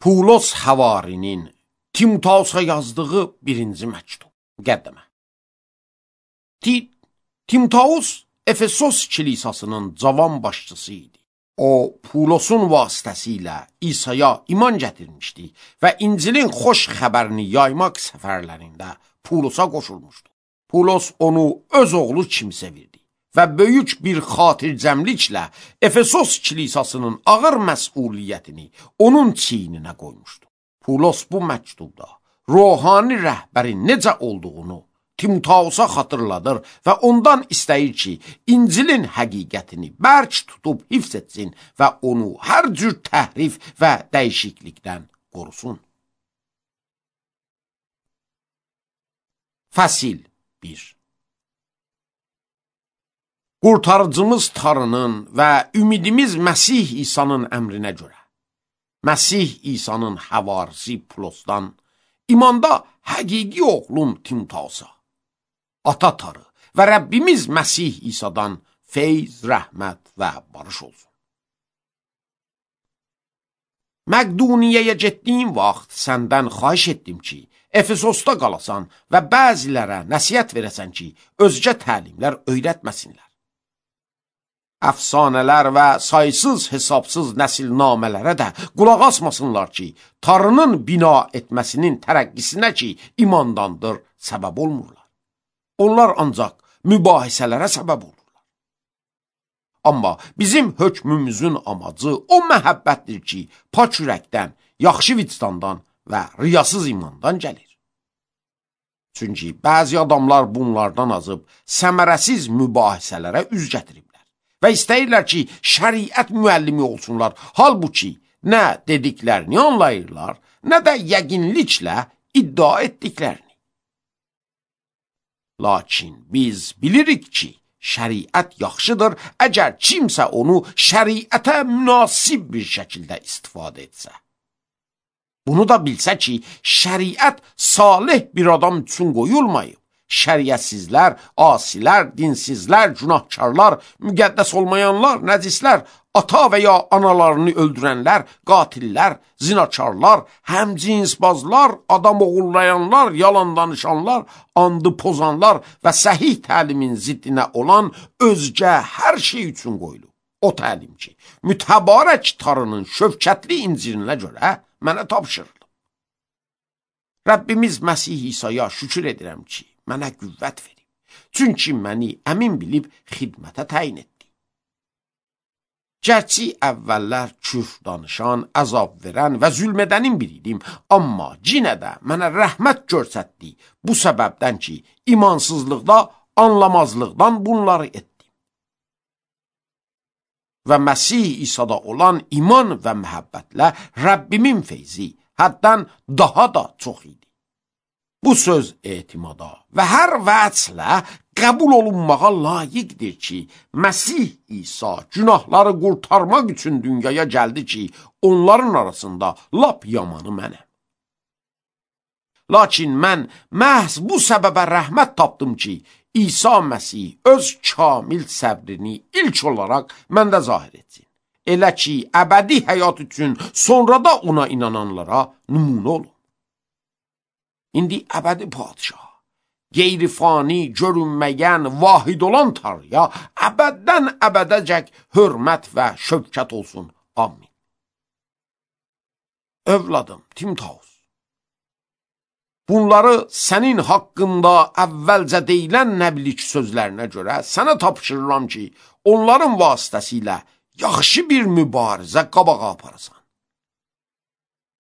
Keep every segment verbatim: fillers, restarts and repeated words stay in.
Pulos Həvarinin Timotausa yazdığı birinci məktub. Müqəddimə. Timotaus Efesos kilisasının cavan başçısı idi. O, Pulosun vasitəsilə İsa'ya iman gətirmişdi və İncilin xoş xəbərini yaymaq səfərlərində Pulosa qoşulmuşdu. Pulos onu öz oğlu kimi sevirdi və böyük bir xatircəmliklə Efesos kilisasının ağır məsuliyyətini onun çiyninə qoymuşdu. Pulos bu məktubda ruhani rəhbərin necə olduğunu Timotausa xatırladır və ondan istəyir ki, İncilin həqiqətini bərk tutub hifz etsin və onu hər cür təhrif və dəyişiklikdən qorusun. Fəsil bir. Qurtarıcımız Tanrının və ümidimiz Məsih İsa'nın əmrinə görə, Məsih İsa'nın həvarisi Pulosdan, imanda həqiqi oğlum Timotausa, Ata Tanrı və Rəbbimiz Məsih İsa'dan feyz, rəhmət və barış olsun. Məqduniyyəyə getdiyim vaxt səndən xahiş etdim ki, Efesosda qalasan və bəzilərə nəsihət verəsən ki, özgə təlimlər öyrətməsinlər. Əfsanələr və saysız hesabsız nəsilnamələrə də qulaq asmasınlar ki, Tanrının bina etməsinin tərəqqisinə ki, imandandır, səbəb olmurlar. Onlar ancaq mübahisələrə səbəb olurlar. Amma bizim hökmümüzün amacı o məhəbbətdir ki, pak ürəkdən, yaxşı vicdandan və riyasız imandan gəlir. Çünki bəzi adamlar bunlardan azıb səmərəsiz mübahisələrə üz gətiriblər və istəyirlər ki, şəriət müəllimi olsunlar. Halbuki nə dediklərini anlayırlar, nə də yəqinliklə iddia etdiklərini. Lakin biz bilirik ki, şəriət yaxşıdır, əgər kimsə onu şəriətə münasib bir şəkildə istifadə etsə. Bunu da bilsə ki, şəriət salih bir adam üçün qoyulmayıb. Şəriətsizlər, asilər, dinsizlər, günahkarlar, müqəddəs olmayanlar, nəcislər, ata və ya analarını öldürənlər, qatillər, zinakarlar, həmcinsbazlar, adam oğullayanlar, yalan danışanlar, andı pozanlar və səhih təlimin ziddinə olan özgə hər şey üçün qoyulub. O təlim ki, mütəbarək Tanrının şövkətli İncilinə görə mənə tapşırılıb. Rəbbimiz Məsih İsa'ya şükür edirəm ki, mənə qüvvət verib. Çünki məni əmin bilib xidmətə təyin etdi. Gərçi əvvəllər küfr danışan, əzab verən və zülm edənin biriydim, amma yenə də mənə rəhmət göstərdi bu səbəbdən ki, imansızlıqda, anlamazlıqdan bunları etdim. Və Məsih İsa'da olan iman və məhəbbətlə Rəbbimin feyzi həddən daha da çox idi. Bu söz etimada və hər vəzlə qəbul olunmağa layiqdir ki, Məsih İsa günahları qurtarmaq üçün dünyaya gəldi ki, onların arasında lap yamanı mənəm. Lakin mən məhz bu səbəbə rəhmət tapdım ki, İsa Məsih öz kamil səbrini ilk olaraq məndə zahir etsin. Elə ki, əbədi həyat üçün sonra da ona inananlara nümunə olun. İndi əbədi padişah, qeyri-fani, görünməyən, vahid olan Tanrıya əbəddən əbədəcək hörmət və şövkət olsun. Amin. Övladım Timotausa, bunları sənin haqqında əvvəlcə deyilən nəbilik sözlərinə görə sənə tapşırıram ki, onların vasitəsilə yaxşı bir mübarizə qabağa aparasan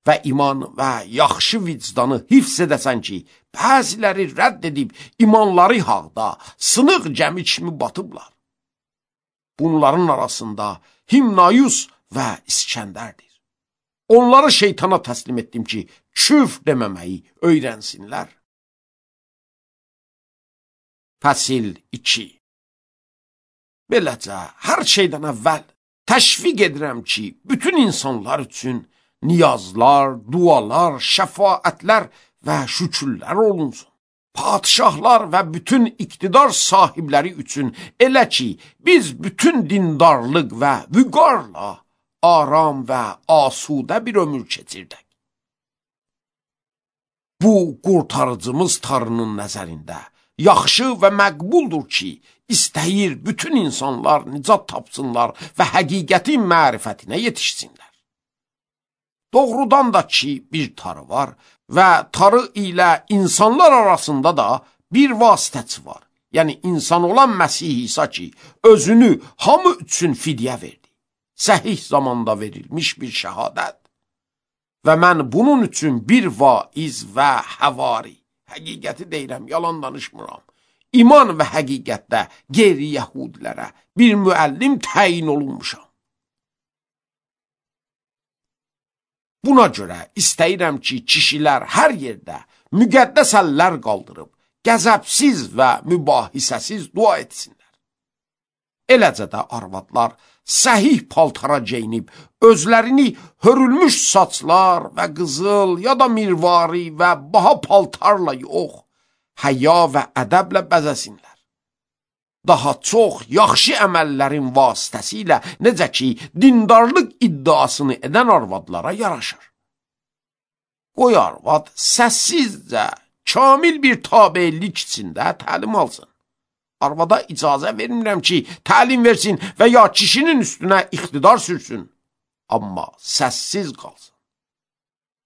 və iman və yaxşı vicdanı hifz edəsən ki, bəziləri rədd edib imanları haqda sınıq gəmi kimi batıblar. Bunların arasında Himnayus və İskəndərdir. Onları şeytana təslim etdim ki, küfr deməməyi öyrənsinlər. Fəsil iki. Beləcə, hər şeydən əvvəl təşviq edirəm ki, bütün insanlar üçün niyazlar, dualar, şəfaətlər və şükürlər olunsun. Padişahlar və bütün iqtidar sahibləri üçün elə ki, biz bütün dindarlıq və vüqarla aram və asudə bir ömür keçirdək. Bu qurtarıcımız Tanrının nəzərində yaxşı və məqbuldur ki, istəyir bütün insanlar nicat tapsınlar və həqiqətin mərifətinə yetişsinlər. Doğrudan da ki, bir Tanrı var və Tanrı ilə insanlar arasında da bir vasitəçi var. Yəni, insan olan Məsih İsa ki, özünü hamı üçün fidyə verdi. Səhih zamanda verilmiş bir şəhadət. Və mən bunun üçün bir vaiz və həvari, həqiqəti deyirəm, yalan danışmıram, iman və həqiqətdə qeyri-yəhudilərə bir müəllim təyin olunmuşam. Buna görə istəyirəm ki, kişilər hər yerdə müqəddəs əllər qaldırıb, qəzəbsiz və mübahisəsiz dua etsinlər. Eləcə də arvadlar səhih paltara geyinib, özlərini hörülmüş saçlar və qızıl ya da mirvari və baha paltarla yox, həya və ədəblə bəzəsinlər. Daha çox yaxşı əməllərin vasitəsilə, necə ki, dindarlıq iddiasını edən arvadlara yaraşır. Qoy arvad səssizcə, kamil bir tabelik içində təlim alsın. Arvada icazə vermirəm ki, təlim versin və ya kişinin üstünə iqtidar sürsün. Amma səssiz qalsın.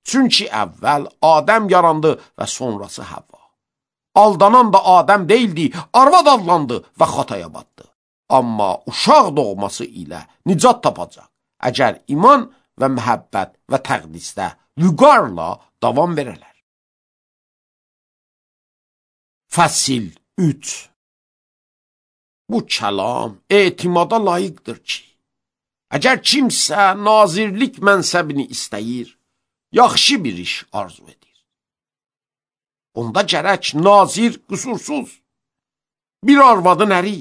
Çünki əvvəl Adəm yarandı və sonrası Həvva. Aldanan da Adəm deyildi, arvad adlandı və xataya batdı. Amma uşaq doğması ilə nicat tapacaq. Əgər iman və məhəbbət və təqdisdə vüqarla davam verələr. Fəsil üç. Bu kəlam etimada layiqdir ki, əgər kimsə nazirlik mənsəbini istəyir, yaxşı bir iş arzu edir. Onda gərək nazir qüsursuz, bir arvadın əri,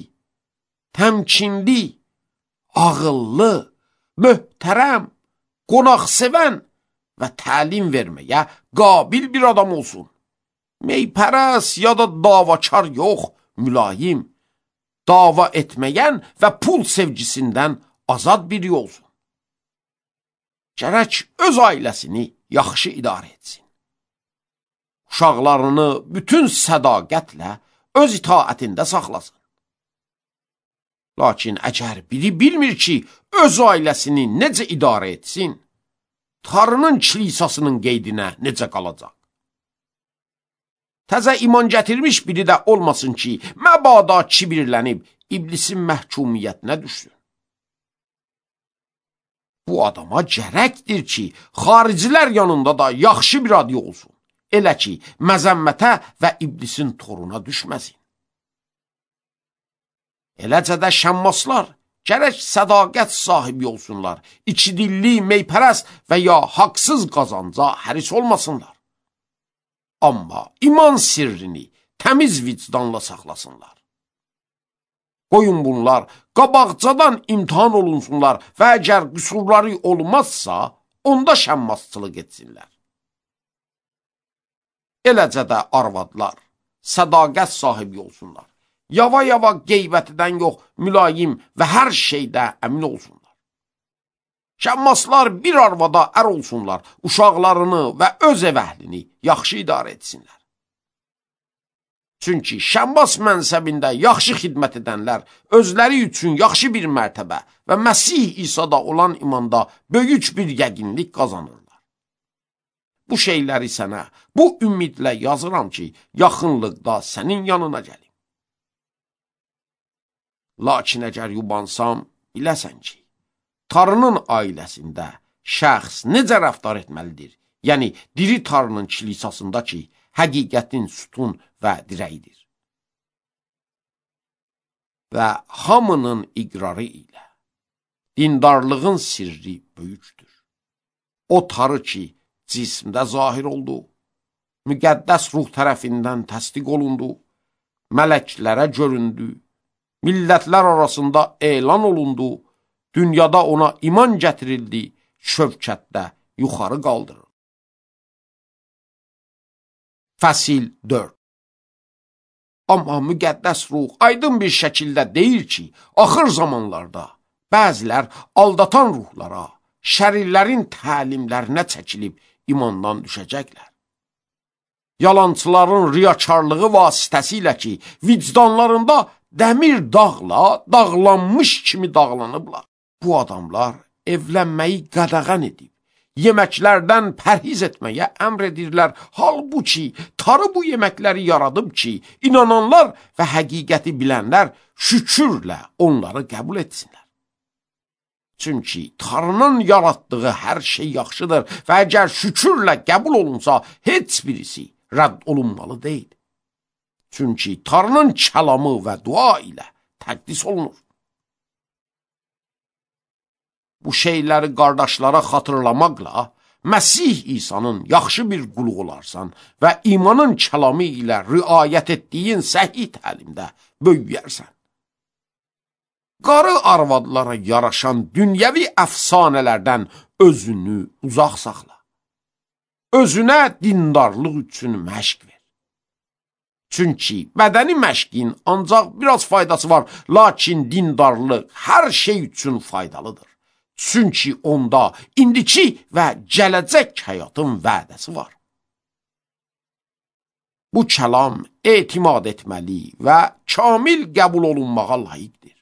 təmkinli, ağıllı, möhtərəm, qonaqsevən və təlim verməyə qabil bir adam olsun. Meypərəs ya da davakar yox, mülayim, dava etməyən və pul sevgisindən azad biri olsun. Gərək öz ailəsini yaxşı idarə etsin. Uşaqlarını bütün sədaqətlə öz itaətində saxlasın. Lakin əgər biri bilmir ki, öz ailəsini necə idarə etsin, Tanrının kilisasının qeydinə necə qalacaq? Təzə iman gətirmiş biri də olmasın ki, məbada kibirlənib iblisin məhkumiyyətinə düşsün. Bu adama gərəkdir ki, xaricilər yanında da yaxşı bir adı olsun. Elə ki, məzəmmətə və iblisin toruna düşməsin. Eləcə də şəmmaslar gərək sədaqət sahibi olsunlar, içidilli, meypərəst və ya haqsız qazanca həris olmasınlar. Amma iman sirrini təmiz vicdanla saxlasınlar. Qoyun bunlar qabaqcadan imtihan olunsunlar və əgər qüsurları olmazsa, onda şəmmasçılıq etsinlər. Eləcə də arvadlar sədaqət sahibi olsunlar. Yava-yava qeybətidən yox, mülayim və hər şeydə əmin olsunlar. Şəmmaslar bir arvada ər olsunlar, uşaqlarını və öz ev əhlini yaxşı idarə etsinlər. Çünki şəmmas mənsəbində yaxşı xidmət edənlər özləri üçün yaxşı bir mərtəbə və Məsih İsa'da olan imanda böyük bir yəqinlik qazanırlar. Bu şeyləri sənə bu ümidlə yazıram ki, yaxınlıqda sənin yanına gəlim. Lakin əgər yubansam, biləsən ki, Tanrının ailəsində şəxs necə rəftar etməlidir? Yəni, diri Tanrının kilisasında ki, həqiqətin sütun və dirəyidir. Və hamının iqrarı ilə dindarlığın sirri böyükdür. O Tanrı ki, cismdə zahir oldu, müqəddəs ruh tərəfindən təsdiq olundu, mələklərə göründü, millətlər arasında elan olundu, dünyada ona iman gətirildi, şövkətdə yuxarı qaldırır. Fəsil dörd. Amma müqəddəs ruh aydın bir şəkildə deyir ki, axır zamanlarda bəzilər aldatan ruhlara, şərirlərin təlimlərinə çəkilib imandan düşəcəklər. yalançıların riyakarlığı vasitəsilə ki, vicdanlarında dəmir dağla dağlanmış kimi dağlanıblar. Bu adamlar evlənməyi qadağan edib, yeməklərdən pərhiz etməyə əmr edirlər. Halbuki tarı bu yeməkləri yaradıb ki, inananlar və həqiqəti bilənlər şükürlə onları qəbul etsinlər. Çünki Tanrının yaratdığı hər şey yaxşıdır və əgər şükürlə qəbul olunsa, heç birisi rədd olunmalı deyil. Çünki Tanrının kəlamı və dua ilə təqdis olunur. Bu şeyləri qardaşlara xatırlamaqla, Məsih İsa'nın yaxşı bir qulu olarsan və imanın kəlamı ilə riayət etdiyin səhih təlimdə böyüyərsən. Qarı arvadlara yaraşan dünyəvi əfsanələrdən özünü uzaq saxla. Özünə dindarlıq üçün məşq ver. Çünki bədəni məşqin ancaq biraz faydası var, lakin dindarlıq hər şey üçün faydalıdır. Çünki onda indiki və gələcək həyatın vədəsi var. Bu kəlam etimad etməli və kamil qəbul olunmağa layiqdir.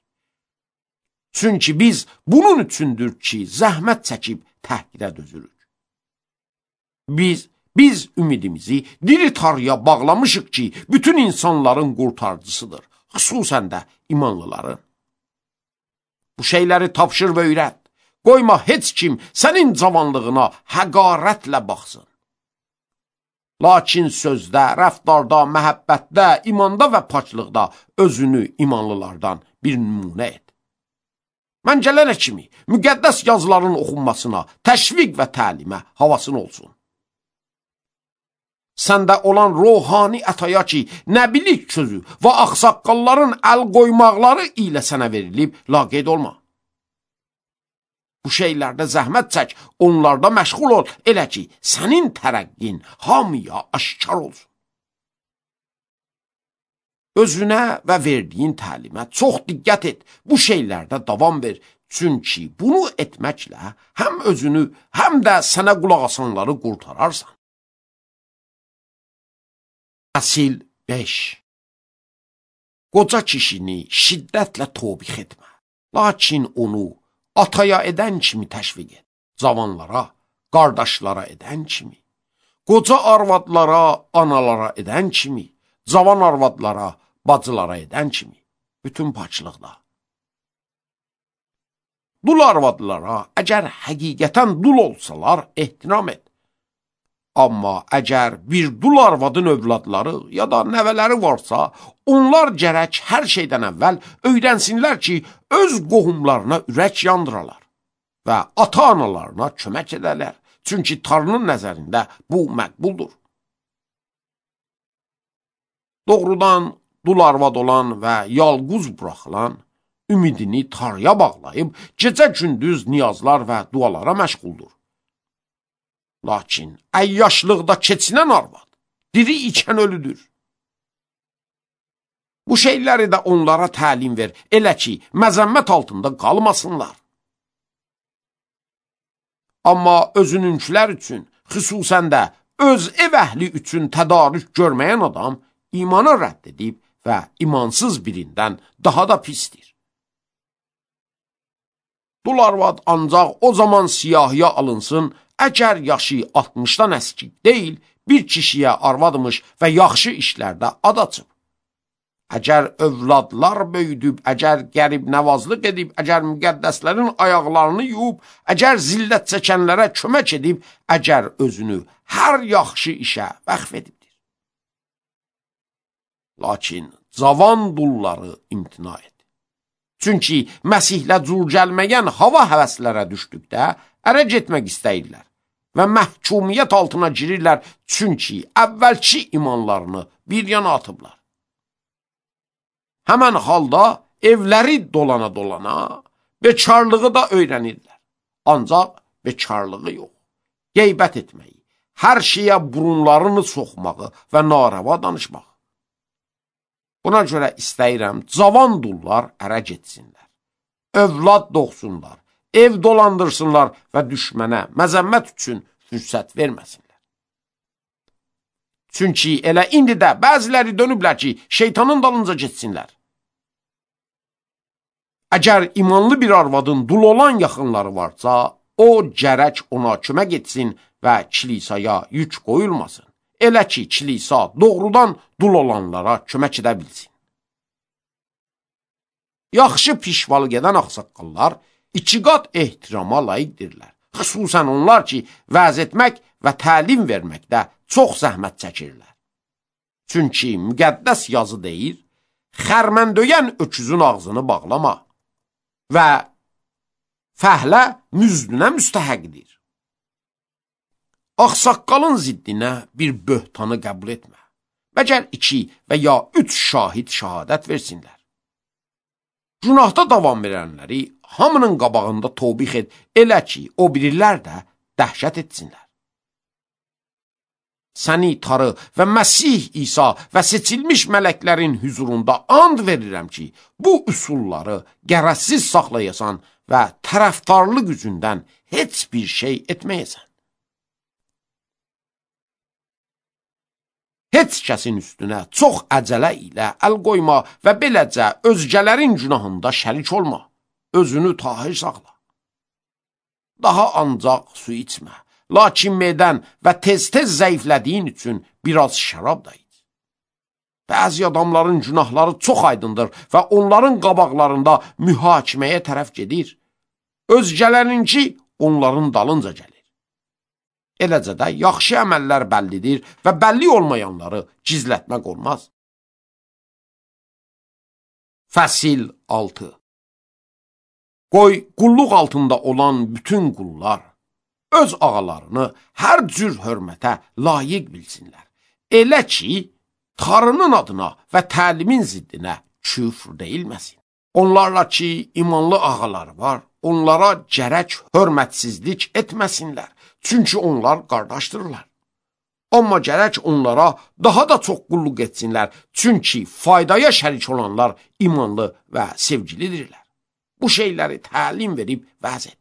Çünki biz bunun üçündür ki, zəhmət çəkib təhqirə dözürük. Biz, biz ümidimizi diri Tanrıya bağlamışıq ki, bütün insanların qurtarıcısıdır, xüsusən də imanlıların. Bu şeyləri tapşır və öyrət. Qoyma heç kim sənin cavanlığına həqarətlə baxsın. Lakin sözdə, rəftarda, məhəbbətdə, imanda və paçlıqda özünü imanlılardan bir nümunə et. Məncələrə kimi müqəddəs yazıların oxunmasına, təşviq və təlimə havasın olsun. Səndə olan ruhani ətaya ki, nəbilik sözü və ağsaqqalların əl qoymaqları ilə sənə verilib, laqeyd olma. Bu şeylərdə zəhmət çək, onlarda məşğul ol, elə ki, sənin tərəqqin hamıya aşkar olsun. Özünə və verdiyin təlimə çox diqqət et, bu şeylərdə davam ver. Çünki bunu etməklə həm özünü, həm də sənə qulaq asanları qurtararsan. Fəsil beş. Qoca kişini şiddətlə tobix etmə, lakin onu ataya edən kimi təşviq et, cavanlara, qardaşlara edən kimi, qoca arvadlara, analara edən kimi, cavan arvadlara, bacılara edən kimi, bütün paçlıqda. Dul arvadlara əgər həqiqətən dul olsalar, ehtiram et. Amma əgər bir dul arvadın övladları ya da nəvələri varsa, onlar gərək hər şeydən əvvəl öyrənsinlər ki, öz qohumlarına ürək yandıralar və ata-analarına kömək edərlər. Çünki Tanrının nəzərində bu məqbuldur. Doğrudan dul arvad olan və yalquz buraxılan, ümidini Tanrıya bağlayıb, gecə-gündüz niyazlar və dualara məşğuldur. Lakin əyyaşlıqda keçinən arvad, diri ikən ölüdür. Bu şeyləri də onlara təlim ver, elə ki, məzəmmət altında qalmasınlar. Amma özününkülər üçün, xüsusən də öz ev əhli üçün tədarük görməyən adam imanı rədd edib və imansız birindən daha da pisdir. Dul arvad ancaq o zaman siyahıya alınsın, əgər yaşı altmışdan əskik deyil, bir kişiyə arvadmış və yaxşı işlərdə ad açıb. Əgər övladlar böyüdüb, əgər qərib nəvazlıq edib, əgər müqəddəslərin ayaqlarını yuyub, əgər zillət çəkənlərə kömək edib, əgər özünü hər yaxşı işə vəqf edibdir. Lakin cavan dulları imtina et. Çünki Məsihlə cür gəlməyən hava həvəslərə düşdükdə ərə getmək istəyirlər və məhkumiyyət altına girirlər, çünki əvvəlki imanlarını bir yana atıblar. Həmən halda evləri dolana-dolana bekarlığı da öyrənirlər. Ancaq bekarlığı yox, qeybət etməyi, hər şeyə burunlarını soxmağı və narava danışmağı. Buna görə istəyirəm, cavan dullar ərə getsinlər, övlad doğsunlar, ev dolandırsınlar və düşmənə məzəmmət üçün fürsət verməsinlər. Çünki elə indi də bəziləri dönüblər ki, şeytanın dalınca getsinlər. Əgər imanlı bir arvadın dul olan yaxınları varsa, o gərək ona kömək etsin və kilisaya yük qoyulmasın. Elə ki, kilisa doğrudan dul olanlara kömək edə bilsin. Yaxşı pişvalıq edən ağsaqqallar iki qat ehtirama layiqdirlər. Xüsusən onlar ki, vəz etmək və təlim verməkdə çox zəhmət çəkirlər. Çünki müqəddəs yazı deyir, xərməndöyən öküzün ağzını bağlama və fəhlə müzdünə müstəhəqdir. Ağsaqqalın ziddinə bir böhtanı qəbul etmə. Məgər iki və ya üç şahid şəhadət versinlər. Günahda davam verənləri hamının qabağında tövbih et, elə ki, o birilər də dəhşət etsinlər. Səni Tanrı və Məsih İsa və seçilmiş mələklərin hüzurunda and verirəm ki, bu üsulları qərəzsiz saxlayasan və tərəfdarlıq üzündən heç bir şey etməyəsən. Heç kəsin üstünə çox əcələ ilə əl qoyma və beləcə özgələrin günahında şərik olma. Özünü tahir saxla. Daha ancaq su içmə. Lakin medən və tez-tez zəiflədiyin üçün biraz şərab da iç. Bəzi adamların günahları çox aydındır və onların qabaqlarında mühakiməyə tərəf gedir. Özgələrinki onların dalınca gəlir. Eləcə də yaxşı əməllər bəllidir və bəlli olmayanları gizlətmək olmaz. Fəsil altı. Qoy qulluq altında olan bütün qullar öz ağalarını hər cür hörmətə layiq bilsinlər. Elə ki, Tanrının adına və təlimin ziddinə küfr deyilməsin. Onlarla ki, imanlı ağalar var, onlara gərək hörmətsizlik etməsinlər. Çünki onlar qardaşdırlar. Amma gərək onlara daha da çox qulluq etsinlər. Çünki faydaya şərik olanlar imanlı və sevgilidirlər. Bu şeyləri təlim verib vəz et.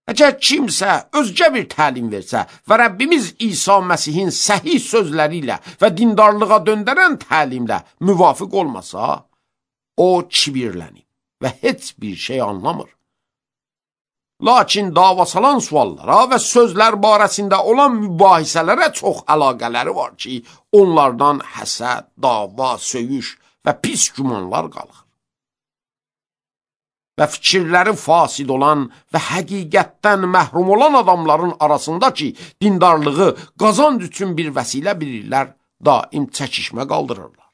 Əgər kimsə özgə bir təlim versə və Rəbbimiz İsa Məsihin səhih sözləri ilə və dindarlığa döndərən təlimlə müvafiq olmasa, o kibirlənib və heç bir şey anlamır. Lakin davasalan suallara və sözlər barəsində olan mübahisələrə çox əlaqələri var ki, onlardan həsəd, dava, söyüş və pis gümanlar qalır. Və fikirləri fasid olan və həqiqətdən məhrum olan adamların arasında ki, dindarlığı qazanc üçün bir vəsilə bilirlər, daim çəkişmə qaldırırlar.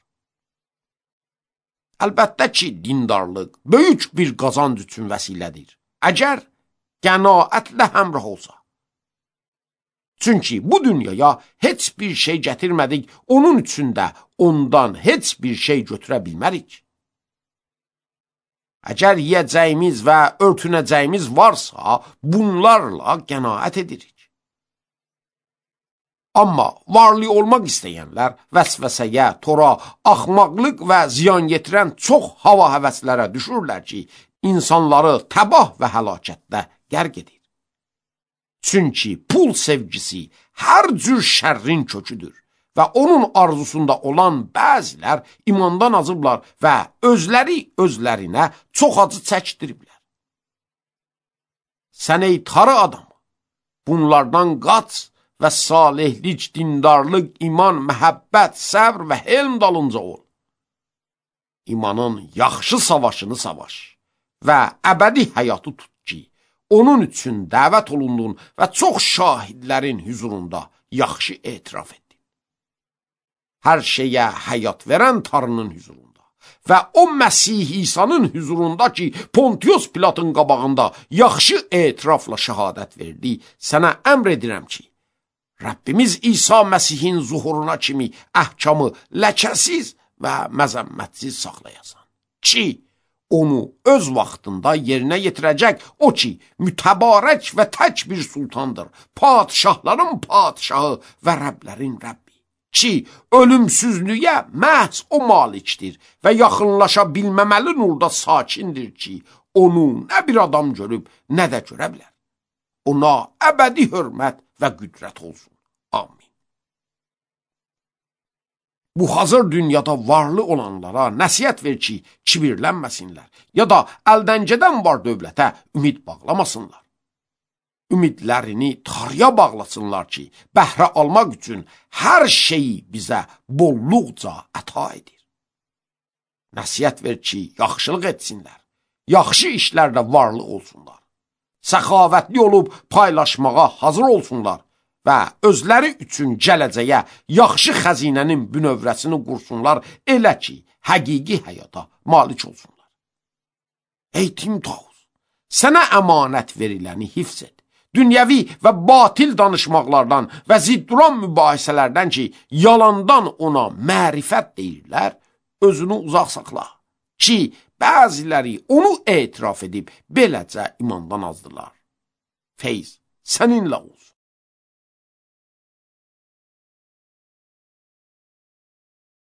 Əlbəttə ki, dindarlıq böyük bir qazanc üçün vəsilədir. Əgər qənaətlə həmrah olsa. Çünki bu dünyaya heç bir şey gətirmədik, onun üçün də ondan heç bir şey götürə bilmərik. Əgər yiyəcəyimiz və örtünəcəyimiz varsa, bunlarla qənaət edirik. Amma varlı olmaq istəyənlər vəsvəsəyə, tora, axmaqlıq və ziyan yetirən çox hava həvəslərə düşürlər ki, insanları təbah və həlakətdə qərq edir. Çünki pul sevgisi hər cür şərrin köküdür və onun arzusunda olan bəzilər imandan azıblar və özləri özlərinə çox acı çəkdiriblər. Sən ey tarı adam, bunlardan qaç və salihlik, dindarlıq, iman, məhəbbət, səbr və helm dalınca ol. İmanın yaxşı savaşını savaş və əbədi həyatı tut ki, onun üçün dəvət olundun və çox şahidlərin hüzurunda yaxşı etiraf etdin. Hər şeyə həyat verən Tanrının hüzurunda və o Məsih İsa'nın hüzurunda ki, Pontius Pilatın qabağında yaxşı etirafla şəhadət verdi, sənə əmr edirəm ki, Rəbbimiz İsa Məsihin zuhuruna kimi əhkamı ləkəsiz və məzəmmətsiz saxlayasan. Ki, onu öz vaxtında yerinə yetirəcək o ki, mütəbarək və tək bir sultandır, padişahların padişahı və Rəblərin Rəbbi. Ki, ölümsüzlüyə məhz o malikdir və yaxınlaşa bilməməli nurda sakindir ki, onu nə bir adam görüb, nə də görə bilər. Ona əbədi hörmət və qüdrət olsun. Amin. bu hazır dünyada varlı olanlara nəsihət ver ki, kibirlənməsinlər, ya da əldən gedən var dövlətə ümid bağlamasınlar. Ümidlərini tarıya bağlasınlar ki, bəhrə almaq üçün hər şeyi bizə bolluqca əta edir. Nəsihət ver ki, yaxşılıq etsinlər, yaxşı işlərdə varlı olsunlar, səxavətli olub paylaşmağa hazır olsunlar və özləri üçün gələcəyə yaxşı xəzinənin bünövrəsini qursunlar, elə ki, həqiqi həyata malik olsunlar. Ey Timtaus, sənə əmanət veriləni hifz et. Dünyəvi və batil danışmaqlardan və zidduran mübahisələrdən ki, yalandan ona mərifət deyirlər, özünü uzaq saxla ki, bəziləri onu etiraf edib beləcə imandan azdılar. Feyz səninlə olsun.